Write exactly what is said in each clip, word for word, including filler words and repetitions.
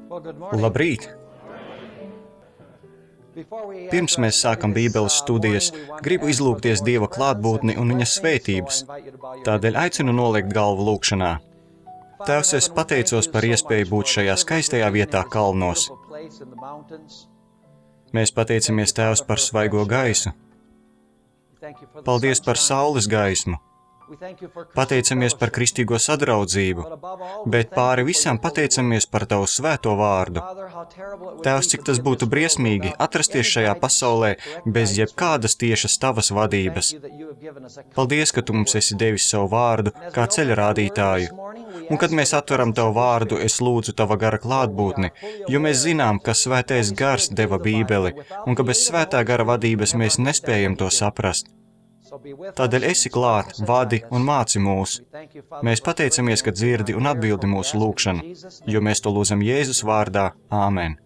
Labrīt! Pirms mēs sākam Bībeles studijas, gribu izlūgties Dieva klātbūtni un viņa svētības. Tādēļ aicinu noliekt galvu lūkšanā. Tēvs, es pateicos par iespēju būt šajā skaistajā vietā kalnos. Mēs pateicamies, Tēvs, par svaigo gaisu. Paldies par saules gaismu. Pateicamies par kristīgo sadraudzību, bet pāri visam pateicamies par Tavu svēto vārdu. Tēvs, cik tas būtu briesmīgi atrasties šajā pasaulē bez jebkādas tiešas Tavas vadības. Paldies, ka Tu mums esi devis savu vārdu kā ceļa rādītāju. Un kad mēs atveram Tavu vārdu, es lūdzu Tava gara klātbūtni, jo mēs zinām, ka svētais gars deva Bībeli, un ka bez svētā gara vadības mēs nespējam to saprast. Tādēļ esi klāt, vadi un māci mūs. Mēs pateicamies, ka dzirdi un atbildi mūsu lūgšanu, jo mēs to lūdzam Jēzus vārdā. Āmen.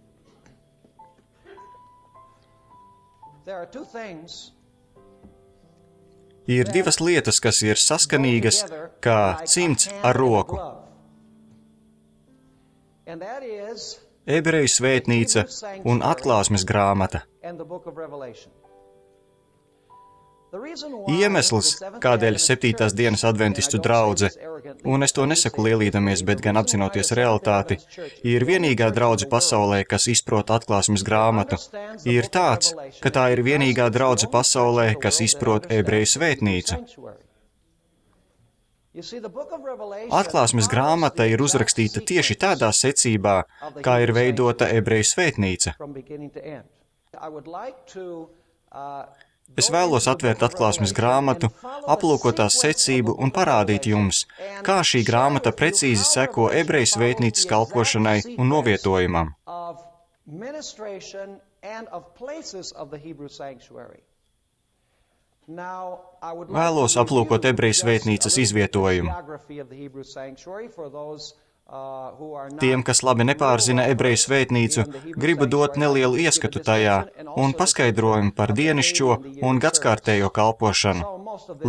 Ir divas lietas, kas ir saskanīgas, kā cimds ar roku. Ebreju svētnīca un atklāsmes grāmata. Iemesls, kādēļ septītās dienas adventistu draudze, un es to nesaku lielīdamies, bet gan apzinoties realitāti, ir vienīgā draudze pasaulē, kas izprot atklāsmes grāmatu, ir tāds, ka tā ir vienīgā draudze pasaulē, kas izprot ebreju svētnīcu. Atklāsmes grāmata ir uzrakstīta tieši tādā secībā, kā ir veidota ebreju svētnīca. Es vēlos atvērt atklāsmes grāmatu, aplūkot tās secību un parādīt jums, kā šī grāmata precīzi seko ebreju svētnīcas kalpošanai un novietojumam. Vēlos aplūkot ebreju svētnīcas izvietojumu. Tiem, kas labi nepārzina ebreju svētnīcu, gribu dot nelielu ieskatu tajā un paskaidrojumu par dienišķo un gadskārtējo kalpošanu.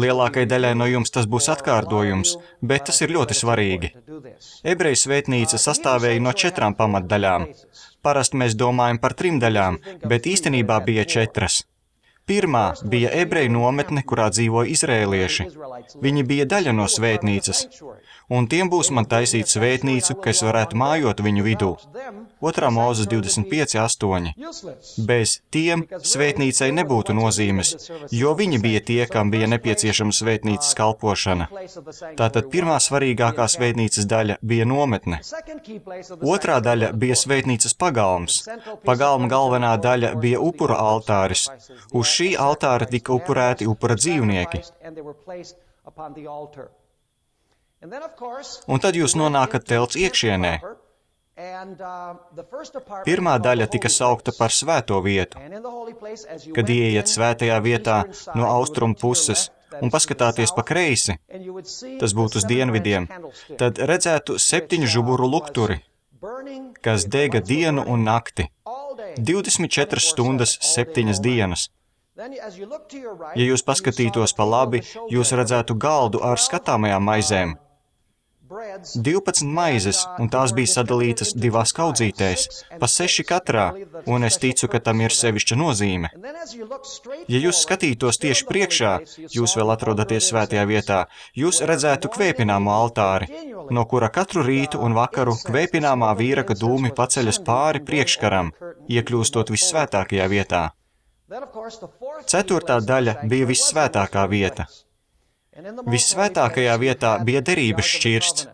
Lielākai daļai no jums tas būs atkārtojums, bet tas ir ļoti svarīgi. Ebreju svētnīca sastāvēja no četrām pamatdaļām. Parasti mēs domājam par trim daļām, bet īstenībā bija četras. Pirmā bija ebreju nometne, kurā dzīvoja izrēlieši. Viņi bija daļa no svētnīcas, un tiem būs man taisīt svētnīcu, ka es varētu mājot viņu vidū. Otrā Mūzes divdesmit pieci astoņi. Bez tiem svētnīcai nebūtu nozīmes, jo viņi bija tie, kam bija nepieciešama svētnīcas kalpošana. Tātad pirmā svarīgākā svētnīcas daļa bija nometne. Otrā daļa bija svētnīcas pagalms. Pagalma galvenā daļa bija upura altāris. Uz šī altāra tika upurēti upura dzīvnieki. Un tad jūs nonākat telts iekšienē. Pirmā daļa tika saukta par svēto vietu. Kad ieiet svētajā vietā no austrumu puses un paskatāties pa kreisi, tas būtu uz dienvidiem, tad redzētu septiņu žuburu lukturi, kas dega dienu un nakti. divdesmit četras stundas, septiņas dienas. Ja jūs paskatītos pa labi, jūs redzētu galdu ar skatāmajām maizēm. divpadsmit maizes, un tās bija sadalītas divās kaudzītēs, pa seši katrā, un es ticu, ka tam ir sevišķa nozīme. Ja jūs skatītos tieši priekšā, jūs vēl atrodaties svētajā vietā, jūs redzētu kvēpināmo altāri, no kura katru rītu un vakaru kvēpināmā vīraka dūmi paceļas pāri priekškaram, iekļūstot vissvētākajā vietā. Ceturtā daļa bija vissvētākā vieta. Vissvētākajā vietā bija derības šķirsts.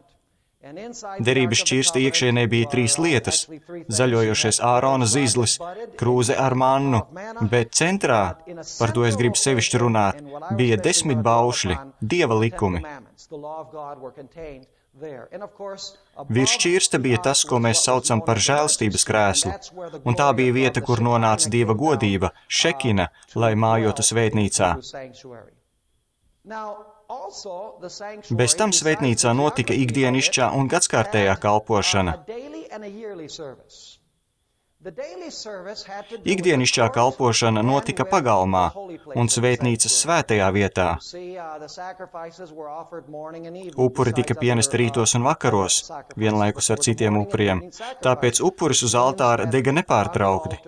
Derības šķirsta iekšienē bija trīs lietas - zaļojošais Ārona zīzlis, krūze ar mannu, bet centrā, par to es gribu sevišķi runāt, bija desmit baušļi, Dieva likumi. Virs šķirsta bija tas, ko mēs saucam par žēlstības krēslu, un tā bija vieta, kur nonāca Dieva godība, šekina, lai mājotu svētnīcā. Bez tam svētnīcā notika ikdienišķā un gadskārtējā kalpošana. Ikdienišķā kalpošana notika pagalmā un svētnīcas svētajā vietā. Upuri tika pienesti rītos un vakaros, vienlaikus ar citiem upuriem, tāpēc upuris uz altāra dega nepārtraukti.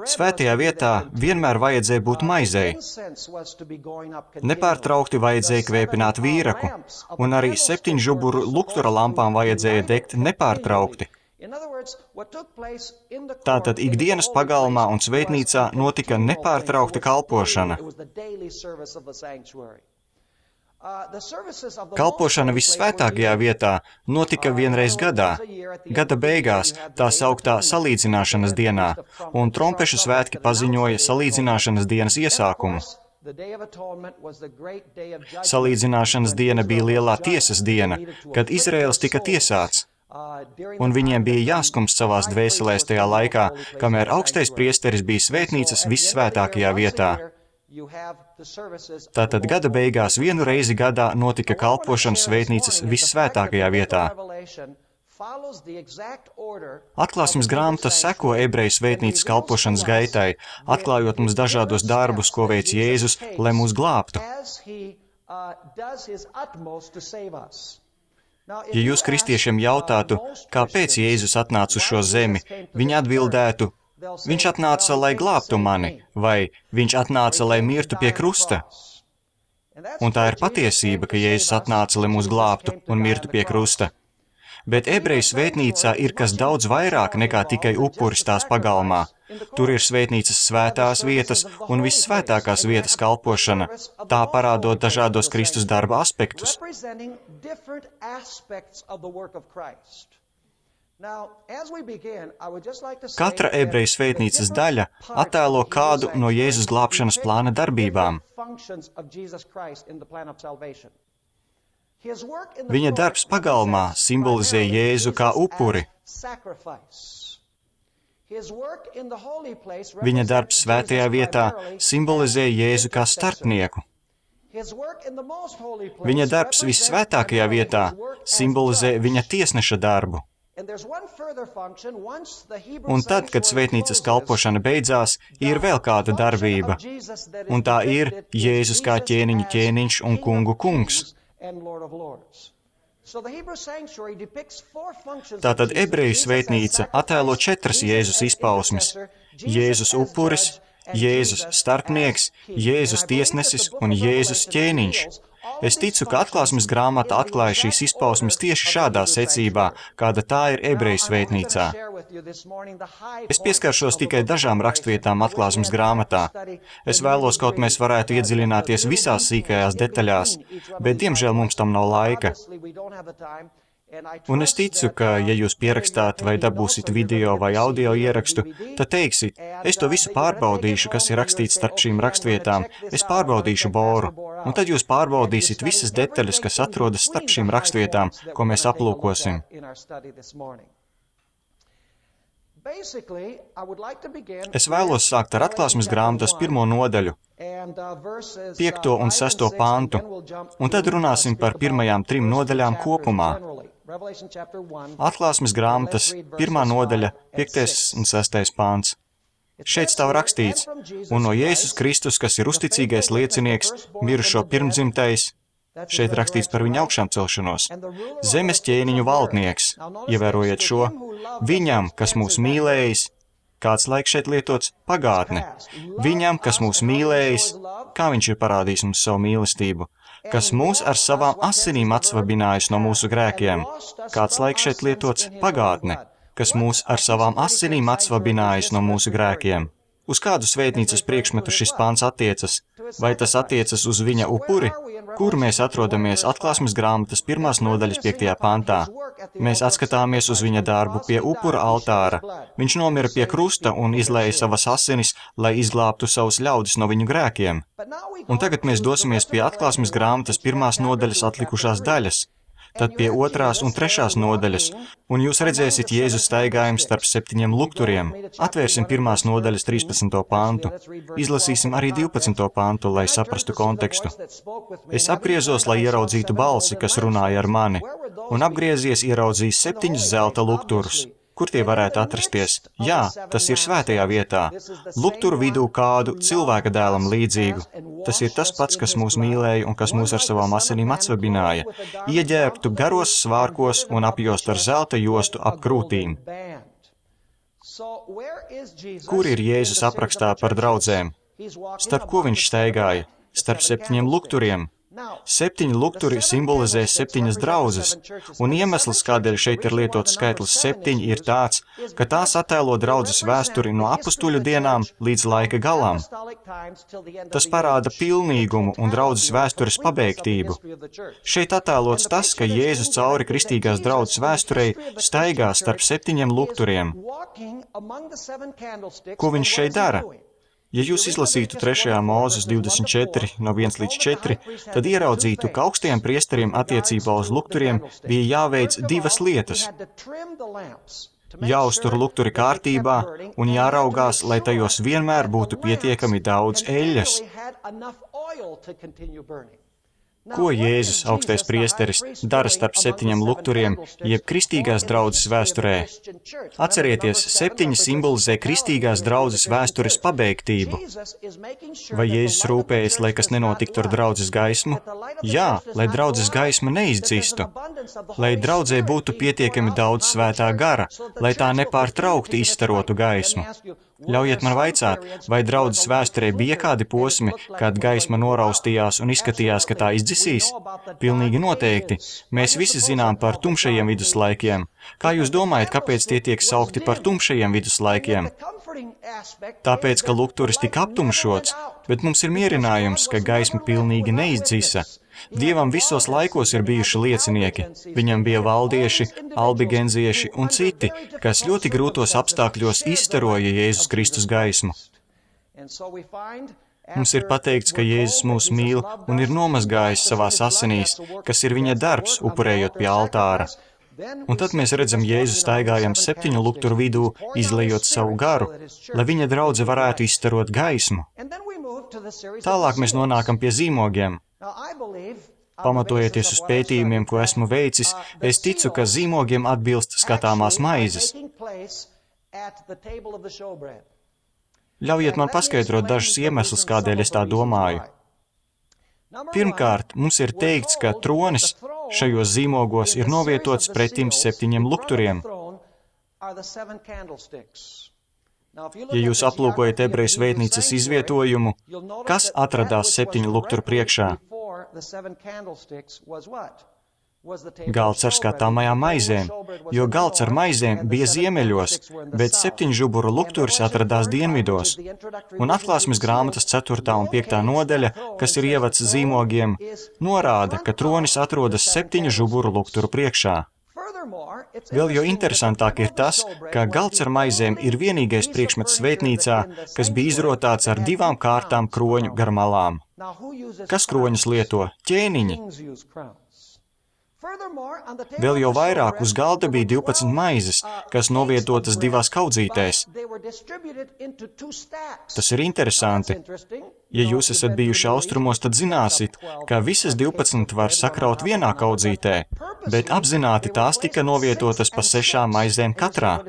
Svētajā vietā vienmēr vajadzēja būt maizei. Nepārtraukti vajadzēja kvēpināt vīraku, un arī septiņžuburu luktura lampām vajadzēja degt nepārtraukti. Tātad ikdienas pagalmā un svētnīcā notika nepārtraukta kalpošana. Kalpošana vissvētākajā vietā notika vienreiz gadā, gada beigās, tā sauktā salīdzināšanas dienā, un trompešu svētki paziņoja salīdzināšanas dienas iesākumu. Salīdzināšanas diena bija lielā tiesas diena, kad Izraēls tika tiesāts, un viņiem bija jāskumst savās dvēselēs tajā laikā, kamēr augstais priesteris bija svētnīcas vissvētākajā vietā. Tātad gada beigās vienu reizi gadā notika kalpošana svētnīcas vissvētākajā vietā. Atklāsmes grāmata seko ebreju svētnīcas kalpošanas gaitai, atklājot mums dažādos darbus, ko veic Jēzus, lai mūs glābtu. Ja jūs kristiešiem jautātu, kāpēc Jēzus atnāca uz šo zemi, viņi atbildētu: Viņš atnāca, lai glābtu mani, vai viņš atnāca, lai mirtu pie krusta. Un tā ir patiesība, ka Jēzus atnāca, lai mūs glābtu un mirtu pie krusta. Bet ebreju svētnīcā ir kas daudz vairāk nekā tikai upuris tās pagalmā. Tur ir svētnīcas svētās vietas un vissvētākās vietas kalpošana, tā parādot dažādos Kristus darba aspektus. Katra ebreju svētnīcas daļa attēlo kādu no Jēzus glābšanas plāna darbībām. Viņa darbs pagalmā simbolizē Jēzu kā upuri. Viņa darbs svētajā vietā simbolizē Jēzu kā starpnieku. Viņa darbs vissvētākajā vietā simbolizē viņa tiesneša darbu. Un tad, kad svētnīcas kalpošana beidzās, ir vēl kāda darbība, un tā ir Jēzus kā ķēniņa ķēniņš un kungu kungs. Tātad ebreju svētnīca attēlo četras Jēzus izpausmes – Jēzus upuris, Jēzus starpnieks, Jēzus tiesnesis un Jēzus ķēniņš. Es ticu, ka atklāsmes grāmata atklāja šīs izpausmes tieši šādā secībā, kāda tā ir ebreju svētnīcā. Es pieskaršos tikai dažām rakstvietām atklāsmes grāmatā. Es vēlos, kaut mēs varētu iedziļināties visās sīkajās detaļās, bet diemžēl mums tam nav laika. Un es ticu, ka, ja jūs pierakstāt vai dabūsit video vai audio ierakstu, tad teiksit, es to visu pārbaudīšu, kas ir rakstīts starp šīm rakstvietām, es pārbaudīšu boru, un tad jūs pārbaudīsit visas detaļas, kas atrodas starp šīm rakstvietām, ko mēs aplūkosim. Es vēlos sākt ar atklāsmes grāmatas pirmo nodaļu, piekto un sesto pantu, un tad runāsim par pirmajām trim nodaļām kopumā. Atklāsmes grāmatas pirmā nodaļa, piektais un sestais pants. Šeit stāv rakstīts, un no Jēzus Kristus, kas ir uzticīgais liecinieks, mirušo pirmdzimtais, šeit rakstīts par viņa augšām celšanos, zemes ķēniņu valdnieks, ievērojiet šo, viņam, kas mūs mīlējis, kāds laiks šeit lietots, pagātne, viņam, kas mūs mīlējis, kā viņš ir parādījis mums savu mīlestību, kas mūs ar savām asinīm atsvabinājis no mūsu grēkiem, kāds laiks šeit lietots, pagātne, kas mūs ar savām asinīm atsvabinājis no mūsu grēkiem. Uz kādu svētnīcas priekšmetu šis pāns attiecas? Vai tas attiecas uz viņa upuri? Kur mēs atrodamies atklāsmes grāmatas pirmās nodaļas piektajā pantā? Mēs atskatāmies uz viņa darbu pie upura altāra. Viņš nomira pie krusta un izlēja savas asinis, lai izglābtu savus ļaudis no viņu grēkiem. Un tagad mēs dosimies pie atklāsmes grāmatas pirmās nodaļas atlikušās daļas, tad pie otrās un trešās nodaļas, un jūs redzēsiet Jēzus staigājumu starp septiņiem lukturiem. Atvērsim pirmās nodaļas trīspadsmito pantu. Izlasīsim arī divpadsmito pantu, lai saprastu kontekstu. Es apgriezos, lai ieraudzītu balsi, kas runāja ar mani. un apgriezies ieraudzījis septiņus zelta lukturus. Kur tie varētu atrasties? Jā, tas ir svētajā vietā. Lukturu vidū kādu cilvēka dēlam līdzīgu. Tas ir tas pats, kas mūs mīlēja un kas mūs ar savām asinīm atsvabināja. Ieģērbtu garos svārkos un apjost ar zelta jostu ap krūtīm. Kur ir Jēzus aprakstā par draudzēm? Starp ko viņš staigāja? Starp septiņiem lukturiem. Septiņi lukturi simbolizē septiņas draudzes, un iemesls, kādēļ šeit ir lietots skaitlis septiņi, ir tāds, ka tās attēlo draudzes vēsturi no apustuļu dienām līdz laika galam. Tas parāda pilnīgumu un draudzes vēstures pabeigtību. Šeit attēlots tas, ka Jēzus cauri kristīgās draudzes vēsturei staigā starp septiņiem lukturiem. Ko viņš šeit dara? Ja jūs izlasītu trešajā Mūzes divdesmit četri, no viens līdz četri, tad ieraudzītu, ka augstajiem priesteriem attiecībā uz lukturiem bija jāveic divas lietas. Jāuztur lukturi kārtībā un jāraugās, lai tajos vienmēr būtu pietiekami daudz eļļas. Ko Jēzus, augstais priesteris, dara starp septiņiem lukturiem, jeb kristīgās draudzes vēsturē? Atcerieties, septiņi simbolizē kristīgās draudzes vēstures pabeigtību. Vai Jēzus rūpējas, lai kas nenotiktu ar draudzes gaismu? Jā, lai draudzes gaisma neizdzistu, lai draudzē būtu pietiekami daudz svētā gara, lai tā nepārtraukti izstarotu gaismu. Ļaujiet man vaicāt, vai draudzes vēsturē bija kādi posmi, kad gaisma noraustījās un izskatījās, ka tā izdzisīs? Pilnīgi noteikti. Mēs visi zinām par tumšajiem viduslaikiem. Kā jūs domājat, kāpēc tie tiek saukti par tumšajiem viduslaikiem? Tāpēc, ka lukturis tika aptumšots, bet mums ir mierinājums, ka gaisma pilnīgi neizdzisa. Dievam visos laikos ir bijuši liecinieki. Viņam bija valdieši, albigenzieši un citi, kas ļoti grūtos apstākļos izstaroja Jēzus Kristus gaismu. Mums ir pateikts, ka Jēzus mūs mīl un ir nomazgājis savās asinīs, kas ir viņa darbs, upurējot pie altāra. Un tad mēs redzam Jēzu staigājam septiņu lukturu vidū, izlejot savu garu, lai viņa draudze varētu izstarot gaismu. Tālāk mēs nonākam pie zīmogiem. Pamatojoties uz pētījumiem, ko esmu veicis, es ticu, ka zīmogiem atbilst skatāmās maizes. Ļaujiet man paskaidrot dažus iemeslus, kādēļ es tā domāju. Pirmkārt, mums ir teikts, ka tronis šajos zīmogos ir novietots pretim septiņiem lukturiem. Ja jūs aplūkojat ebreju svētnīcas izvietojumu, kas atradās septiņu lukturu priekšā? Galds ar skatāmajām maizēm, jo galds ar maizēm bija ziemeļos, bet septiņu žuburu lukturis atradās dienvidos. Un atklāsmes grāmatas ceturtā un piektā nodaļa, kas ir ievads zīmogiem, norāda, ka tronis atrodas septiņu žuburu lukturu priekšā. Vēl jo interesantāk ir tas, ka galds ar maizēm ir vienīgais priekšmets svētnīcā, kas bija izrotāts ar divām kārtām kroņu gar malām. Kas kroņus lieto? Ķēniņi. Vēl jau vairāk uz galda bija divpadsmit maizes, kas novietotas divās kaudzītēs. Tas ir interesanti. Ja jūs esat bijuši austrumos, tad zināsit, ka visas divpadsmit var sakraut vienā kaudzītē, bet apzināti tās tika novietotas pa sešām maizēm katrā.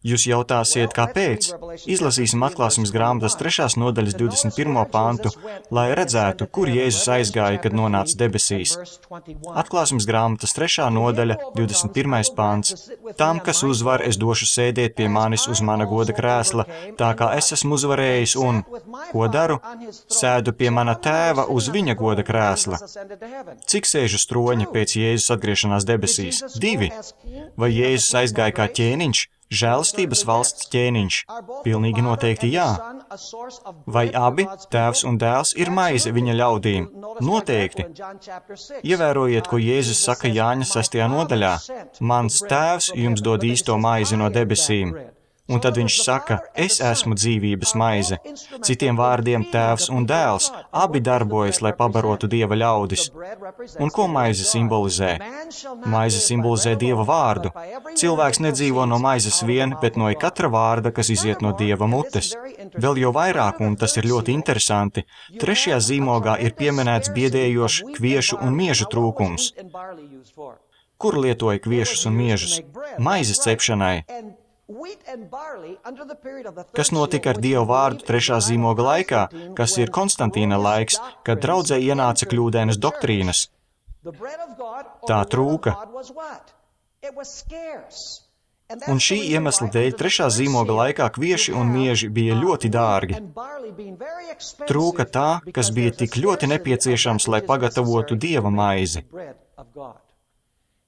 Jūs jautāsiet, kāpēc? Izlasīsim atklāsmes grāmatas trešās nodaļas divdesmit pirmo pantu, lai redzētu, kur Jēzus aizgāja, kad nonāca debesīs. Atklāsmes grāmatas trešā nodaļa, divdesmit pirmais pants. Tam, kas uzvar, es došu sēdēt pie manis uz mana goda krēsla, tā kā es esmu uzvarējis un, ko daru? Sēdu pie mana tēva uz viņa goda krēsla. Cik sēžu stroņi pēc Jēzus atgriešanās debesīs? Divi. Vai Jēzus aizgāja kā ķēniņš? Žēlastības valsts ķēniņš? Pilnīgi noteikti jā. Vai abi, tēvs un dēls, ir maize viņa ļaudīm? Noteikti. Ievērojiet, ko Jēzus saka Jāņa sestajā nodaļā. Mans tēvs jums dod īsto maizi no debesīm. Un tad viņš saka, es esmu dzīvības maize. Citiem vārdiem tēvs un dēls, abi darbojas, lai pabarotu Dieva ļaudis. Un ko maize simbolizē? Maize simbolizē Dieva vārdu. Cilvēks nedzīvo no maizes vien, bet no katra vārda, kas iziet no Dieva mutes. Vēl jau vairāk, un tas ir ļoti interesanti, trešajā zīmogā ir pieminēts biedējošs kviešu un miežu trūkums. Kur lietoja kviešus un miežus? Maizes cepšanai. Kas notika ar Dievu vārdu trešā zīmoga laikā, kas ir Konstantīna laiks, kad draudzē ienāca kļūdainas doktrīnas? Tā trūka. Un šī iemesla dēļ trešā zīmoga laikā kvieši un mieži bija ļoti dārgi. Trūka tā, kas bija tik ļoti nepieciešams, lai pagatavotu Dieva maizi.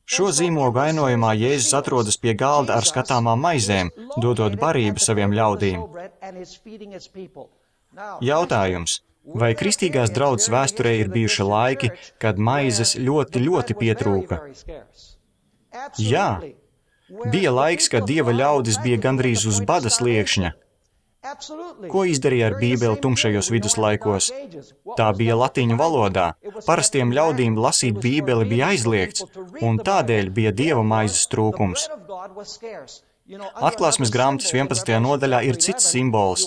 Šo zīmogu ainojumā Jēzus atrodas pie galda ar skatāmām maizēm, dodot barību saviem ļaudīm. Jautājums. Vai kristīgās draudzes vēsturē ir bijuši laiki, kad maizes ļoti, ļoti pietrūka? Jā. Bija laiks, kad Dieva ļaudis bija gandrīz uz bada sliekšņa. Ko izdarīja ar Bībeli tumšajos viduslaikos? Tā bija latīņu valodā. Parastiem ļaudīm lasīt Bībeli bija aizliegts, un tādēļ bija Dieva maizes trūkums. Atklāsmes grāmatas vienpadsmitajā nodaļā ir cits simbols.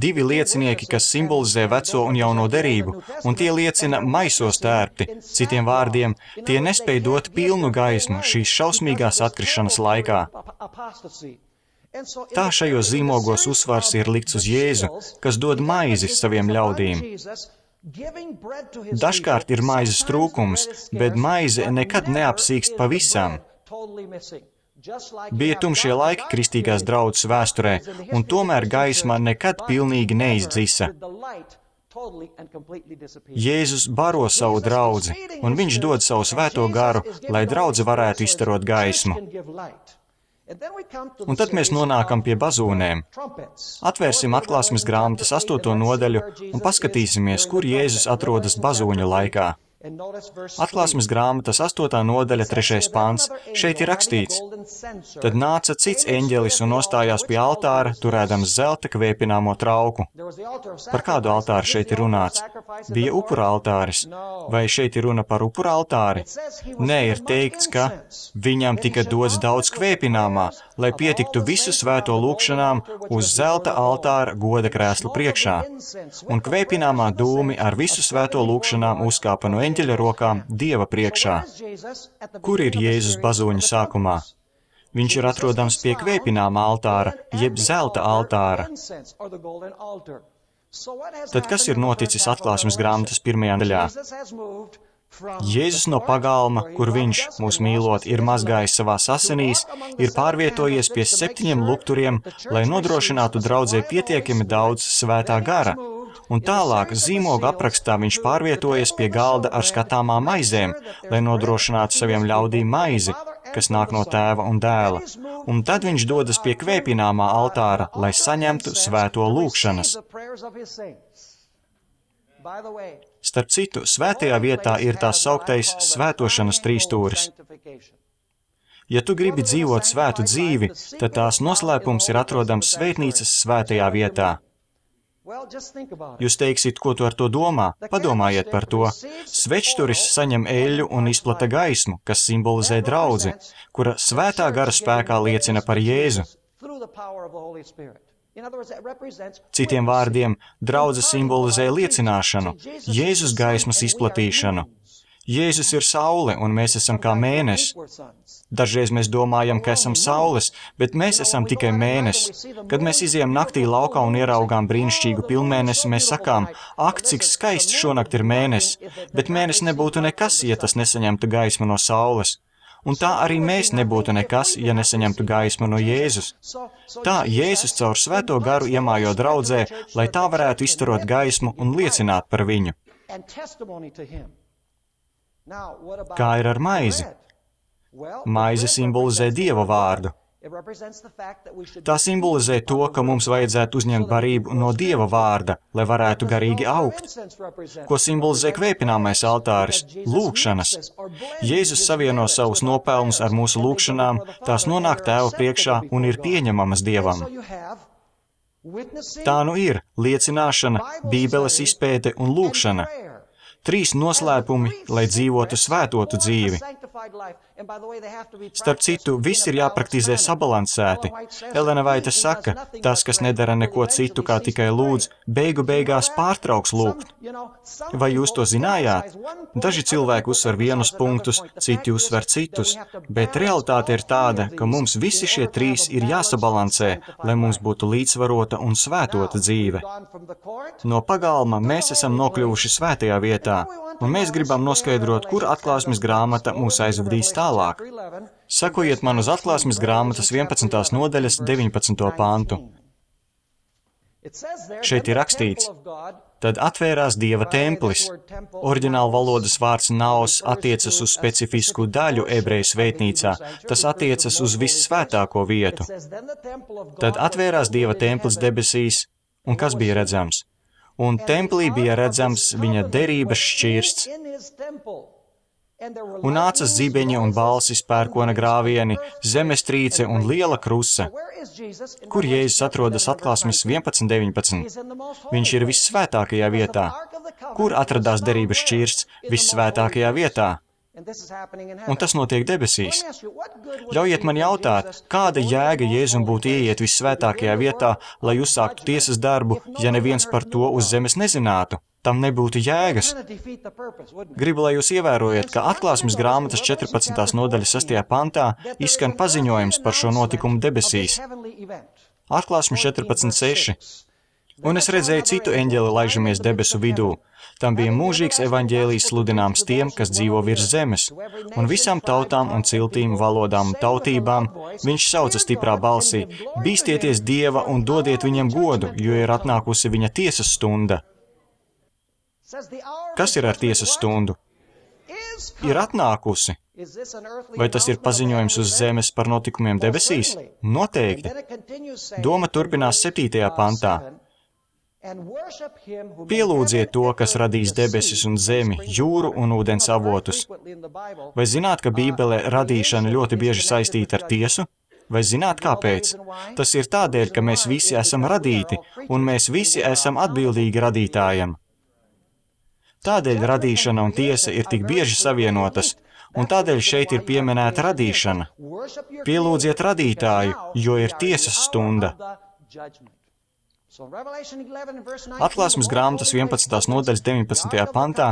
Divi liecinieki, kas simbolizē veco un jauno derību, un tie liecina maisos tērpti. Citiem vārdiem, tie nespēj dot pilnu gaismu šīs šausmīgās atkrišanas laikā. Tā šajos zīmogos uzsvars ir likts uz Jēzu, kas dod maizi saviem ļaudīm. Dažkārt ir maizes trūkums, bet maize nekad neapsīkst pavisam. Bija tumšie laiki kristīgās draudzes vēsturē, un tomēr gaisma nekad pilnīgi neizdzisa. Jēzus baro savu draudzi, un viņš dod savu svēto garu, lai draudze varētu izstarot gaismu. Un tad mēs nonākam pie bazūnēm. Atvērsim atklāsmes grāmatas astoto nodaļu un paskatīsimies, kur Jēzus atrodas bazūņu laikā. Atklāsmes grāmatas astotā nodaļa, trešais pants. Šeit ir rakstīts: Tad nāca cits eņģelis un nostājās pie altāra, turēdams zelta kvēpināmo trauku. Par kādu altāru šeit ir runāts? Bija upura altāris. Vai šeit ir runa par upura altāri? Nē, ir teikts, ka viņam tika dots daudz kvēpināmā, lai pietiktu visu svēto lūgšanām uz zelta altāra goda krēslu priekšā. Un kvēpināmā dūmi ar visu svēto lūgšanām uzkāpa no eņģeļa rokām Dieva priekšā. Kur ir Jēzus bazūņu sākumā? Viņš ir atrodams pie kvēpināmā altāra, jeb zelta altāra. Tad kas ir noticis atklāsmes grāmatas pirmajā daļā? Jēzus no pagalma, kur viņš, mūs mīlot, ir mazgājis savās asinīs, ir pārvietojies pie septiņiem lukturiem, lai nodrošinātu draudzē pietiekami daudz svētā gara. Un tālāk zīmoga aprakstā viņš pārvietojas pie galda ar skatāmām maizēm, lai nodrošinātu saviem ļaudīm maizi, kas nāk no tēva un dēla. Un tad viņš dodas pie kvēpināmā altāra, lai saņemtu svēto lūgšanas. Starp citu, svētajā vietā ir tās sauktais svētošanas trīsstūris. Ja tu gribi dzīvot svētu dzīvi, tad tās noslēpums ir atrodams svētnīcas svētajā vietā. Jūs teiksiet, ko tu ar to domā? Padomājiet par to. Svečturis saņem eļļu un izplata gaismu, kas simbolizē draudzi, kura svētā gara spēkā liecina par Jēzu. Citiem vārdiem, draudze simbolizē liecināšanu, Jēzus gaismas izplatīšanu. Jēzus ir saule, un mēs esam kā mēnesis. Dažreiz mēs domājam, ka esam saules, bet mēs esam tikai mēnesis. Kad mēs izejam naktī laukā un ieraugām brīnišķīgu pilnmēnesi, mēs sakām, ak, cik skaists šonakt ir mēnesis, bet mēnesis nebūtu nekas, ja tas nesaņemtu gaismu no saules. Un tā arī mēs nebūtu nekas, ja nesaņemtu gaismu no Jēzus. Tā Jēzus caur svēto garu iemājo draudzē, lai tā varētu izstarot gaismu un liecināt par viņu. Kā ir ar maizi? Maize simbolizē Dieva vārdu. Tā simbolizē to, ka mums vajadzētu uzņemt barību no Dieva vārda, lai varētu garīgi augt. Ko simbolizē kvēpināmais altāris? Lūgšanas. Jēzus savieno savus nopelnus ar mūsu lūgšanām, tās nonāk Tēva priekšā un ir pieņemamas Dievam. Tā nu ir liecināšana, Bībeles izpēte un lūgšana. Trīs noslēpumi, lai dzīvotu svētotu dzīvi. Starp citu, viss ir jāpraktizē sabalansēti. Elena Vaita saka, tas, kas nedara neko citu, kā tikai lūdz, beigu beigās pārtrauks lūgt. Vai jūs to zinājāt? Daži cilvēki uzsver vienus punktus, citi uzsver citus, bet realitāte ir tāda, ka mums visi šie trīs ir jāsabalansē, lai mums būtu līdzsvarota un svētota dzīve. No pagalma mēs esam nokļuvuši svētajā vietā, un mēs gribam noskaidrot, kur atklāsmes grāmata mūs aizvedīs tālāk. Sakojiet man uz atklāsmes grāmatas vienpadsmitās nodaļas deviņpadsmito pantu. Šeit ir rakstīts, tad atvērās Dieva templis. Oriģināla valodas vārds naos attiecas uz specifisku daļu ebreju svētnīcā, tas attiecas uz vissvētāko vietu. Tad atvērās Dieva templis debesīs, un kas bija redzams? Un templī bija redzams viņa derības šķirsts. Un nācas zibeņi un balsis, pērkona grāvieni, zemestrīce un liela krusa. Kur Jēzus atrodas atklāsmes vienpadsmit deviņpadsmit? Viņš ir vissvētākajā vietā. Kur atradās derības šķirsts? Vissvētākajā vietā. Un tas notiek debesīs. Ļaujiet man jautāt, kāda jēga Jēzum būtu ieiet vissvētākajā vietā, lai uzsāktu tiesas darbu, ja neviens par to uz zemes nezinātu? Tam nebūtu jēgas. Gribu, lai jūs ievērojat, ka atklāsmes grāmatas četrpadsmitās nodaļas sastajā pantā izskan paziņojums par šo notikumu debesīs. Atklāsmes četrpadsmit seši. Un es redzēju citu eņģeli laižamies debesu vidū. Tam bija mūžīgs evaņģēlijs sludināms tiem, kas dzīvo virs zemes, un visām tautām un ciltīm, valodām un tautībām viņš sauca stiprā balsī: bīstieties Dieva un dodiet viņam godu, jo ir atnākusi viņa tiesas stunda. Kas ir ar tiesas stundu? Ir atnākusi. Vai tas ir paziņojums uz zemes par notikumiem debesīs? Noteikti. Doma turpinās septītajā pantā. Pielūdziet to, kas radīs debesis un zemi, jūru un ūdens avotus. Vai zināt, ka Bībelē radīšana ļoti bieži saistīta ar tiesu? Vai zināt, kāpēc? Tas ir tādēļ, ka mēs visi esam radīti, un mēs visi esam atbildīgi radītājam. Tādēļ radīšana un tiesa ir tik bieži savienotas, un tādēļ šeit ir pieminēta radīšana. Pielūdziet radītāju, jo ir tiesas stunda. Atklāsmes grāmatas vienpadsmitās nodaļas deviņpadsmitajā pantā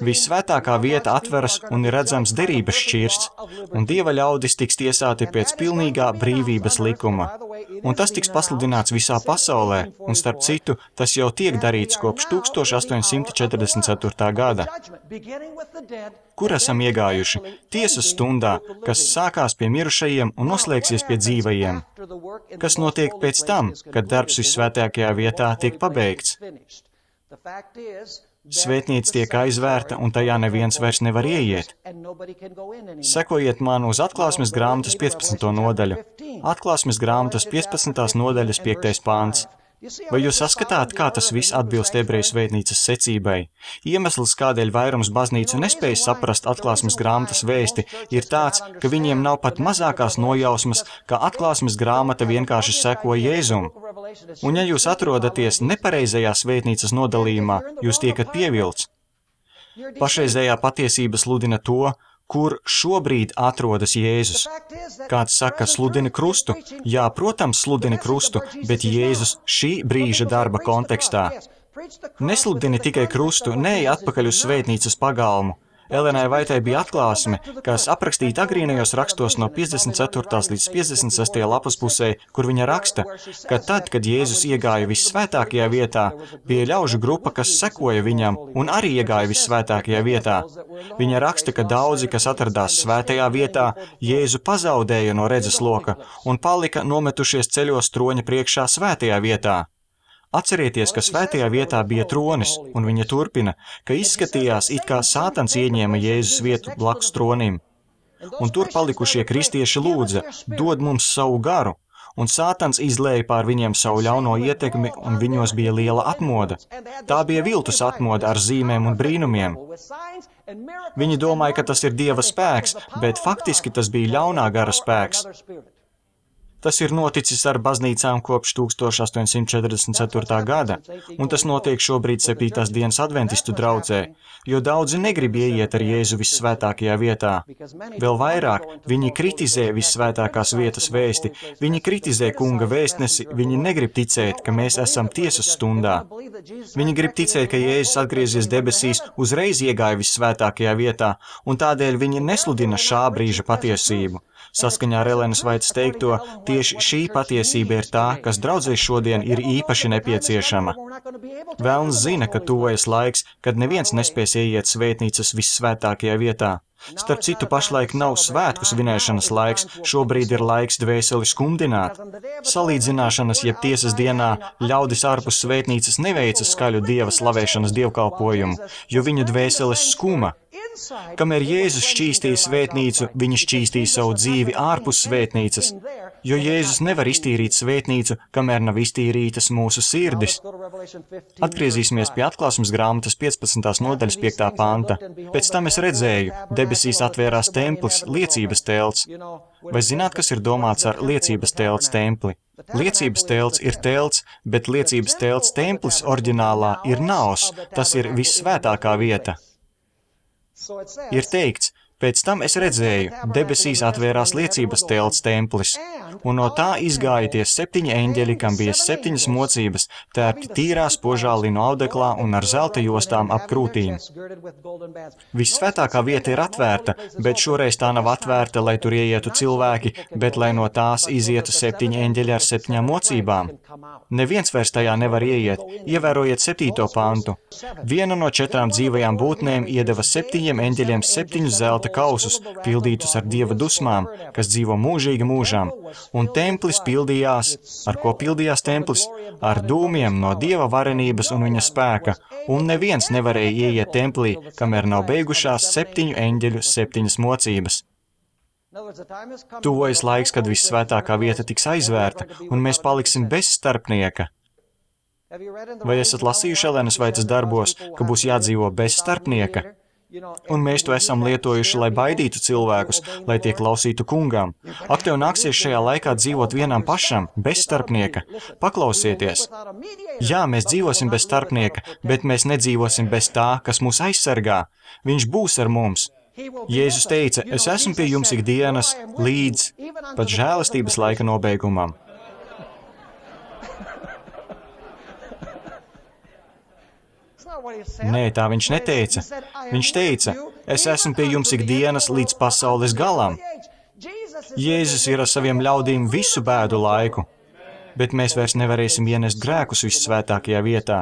vissvētākā vieta atveras un ir redzams derības šķirsts, un Dieva ļaudis tiks tiesāti pēc pilnīgā brīvības likuma. Un tas tiks pasludināts visā pasaulē, un starp citu, tas jau tiek darīts kopš tūkstoš astoņsimt četrdesmit ceturtā gada. Kur esam iegājuši? Tiesas stundā, kas sākās pie mirušajiem un noslēgsies pie dzīvajiem. Kas notiek pēc tam, kad darbs vissvētākajā vietā tiek pabeigts? Svētnīca tiek aizvērta, un tajā neviens vairs nevar ieiet. Sekojiet man uz atklāsmes grāmatas piecpadsmito nodaļu. Atklāsmes grāmatas piecpadsmitās nodaļas piektais pāns. Vai jūs saskatāt, kā tas viss atbilst ebreju svētnīcas secībai? Iemesls, kādēļ vairums baznīcu nespēj saprast atklāsmes grāmatas vēsti, ir tāds, ka viņiem nav pat mazākās nojausmas, ka atklāsmes grāmata vienkārši seko Jēzum. Un ja jūs atrodaties nepareizajā svētnīcas nodalījumā, jūs tiekat pievilts. Pašreizējā patiesība sludina to, kur šobrīd atrodas Jēzus. Kāds saka, sludini krustu. Jā, protams, sludini krustu, bet Jēzus šī brīža darba kontekstā. Nesludini tikai krustu, neej atpakaļ uz svētnīcas pagalmu. Elenai Vaitai bija atklāsme, kas aprakstīta agrīnajos rakstos no piecdesmit ceturtās līdz piecdesmit sestajā lapas pusē, kur viņa raksta, ka tad, kad Jēzus iegāja vissvētākajā vietā, bija ļaužu grupa, kas sekoja viņam un arī iegāja vissvētākajā vietā. Viņa raksta, ka daudzi, kas atradās svētajā vietā, Jēzu pazaudēja no redzes loka un palika nometušies ceļos troņa priekšā svētajā vietā. Atcerieties, ka svētajā vietā bija tronis, un viņa turpina, ka izskatījās, it kā Sātans ieņēma Jēzus vietu blakus tronim. Un tur palikušie kristieši lūdza, dod mums savu garu, un Sātans izlēja pār viņiem savu ļauno ietekmi, un viņos bija liela atmoda. Tā bija viltus atmoda ar zīmēm un brīnumiem. Viņi domāja, ka tas ir Dieva spēks, bet faktiski tas bija ļaunā gara spēks. Tas ir noticis ar baznīcām kopš tūkstoš astoņsimt četrdesmit ceturtā gada, un tas notiek šobrīd septītās dienas adventistu draudzē, jo daudzi negrib ieiet ar Jēzu vissvētākajā vietā. Vēl vairāk, viņi kritizē vissvētākās vietas vēsti, viņi kritizē kunga vēstnesi, viņi negrib ticēt, ka mēs esam tiesas stundā. Viņi grib ticēt, ka Jēzus atgriezies debesīs, uzreiz iegāja vissvētākajā vietā, un tādēļ viņi nesludina šā brīža patiesību. Saskaņā ar Elenas Vaitas teikto, tieši šī patiesība ir tā, kas draudzē šodien ir īpaši nepieciešama. Velns zina, ka tuvojas laiks, kad neviens nespēs ieiet svētnīcas vissvētākajā vietā. Starp citu, pašlaik nav svētku svinēšanas laiks, šobrīd ir laiks dvēseli skumdināt. Salīdzināšanas jeb tiesas dienā ļaudis ārpus svētnīcas neveica skaļu dieva slavēšanas dievkalpojumu, jo viņu dvēseles skuma. Kamēr Jēzus šķīstīja svētnīcu, viņi šķīstīja savu dzīvi ārpus svētnīcas, jo Jēzus nevar iztīrīt svētnīcu, kamēr nav iztīrītas mūsu sirdis. Atgriezīsimies pie atklāsmes grāmatas piecpadsmitās nodaļas piektā panta. Pēc tam es redzēju, debesīs atvērās templis, liecības telts. Vai zināt, kas ir domāts ar liecības telts templi? Liecības telts ir telts, bet liecības telts templis oriģinālā ir naos, tas ir vissvētākā vieta. Ir teikts, pēc tam es redzēju, debesīs atvērās liecības telts templis, un no tā izgāja tie septiņi eņģeļi, kam bija septiņas mocības, tērpti tīrā spožā linu audeklā un ar zelta jostām ap krūtīm. Vissvētākā vieta ir atvērta, bet šoreiz tā nav atvērta, lai tur ieietu cilvēki, bet lai no tās izietu septiņi eņģeļi ar septiņām mocībām. Neviens vairs tajā nevar ieiet. Ievērojiet septīto pantu. Viena no četrām dzīvajām būtnēm iedeva septiņiem eņģeļiem septiņus zelta kausus, pildītus ar dieva dusmām, kas dzīvo mūžīgi mūžām. Un templis pildījās, ar ko pildījās templis? Ar dūmiem no dieva varenības un viņa spēka, un neviens nevarēja ieiet templī, kamēr nav beigušās septiņu eņģeļu septiņas mocības. Tuvojas laiks, kad vissvētākā vieta tiks aizvērta, un mēs paliksim bez starpnieka. Vai esat lasījuši Elenas Vaitas darbos, ka būs jādzīvo bez starpnieka? Un mēs to esam lietojuši, lai baidītu cilvēkus, lai tie klausītu kungām. Ak, tev nāksies šajā laikā dzīvot vienam pašam, bez starpnieka. Paklausieties. Jā, mēs dzīvosim bez starpnieka, bet mēs nedzīvosim bez tā, kas mūs aizsargā. Viņš būs ar mums. Jēzus teica, es esmu pie jums ikdienas līdz pat žēlastības laika nobeigumam. Nē, tā viņš neteica. Viņš teica, es esmu pie jums ikdienas līdz pasaules galam. Jēzus ir ar saviem ļaudīm visu bēdu laiku, bet mēs vairs nevarēsim ienest grēkus vissvētākajā vietā,